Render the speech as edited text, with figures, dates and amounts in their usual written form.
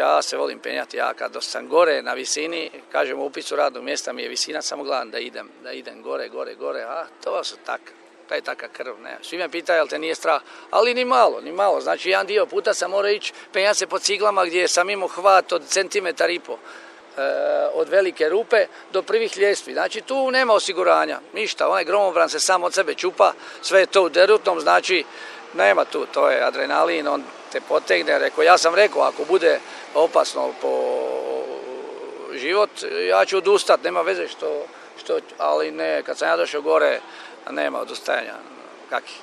ja se volim penjati, ja kad sam gore na visini, kažem u upisu radnog mjesta mi je visina, samo gledam da idem gore, a to su taj taka krv, ne. Svi me pitaju, jel te nije strah, ali ni malo, znači jedan dio puta sam morao ići penjati se po ciglama gdje sam imao hvat od centimetar i po. Od velike rupe do prvih ljestvi. Znači tu nema osiguranja, ništa, onaj gromobran se sam od sebe čupa, sve je to u derutnom, znači nema tu, to je adrenalin, on te potegne, ja sam rekao, ako bude opasno po život, ja ću odustati, nema veze što, ali ne, kad sam ja došao gore, nema odustajanja, kaki.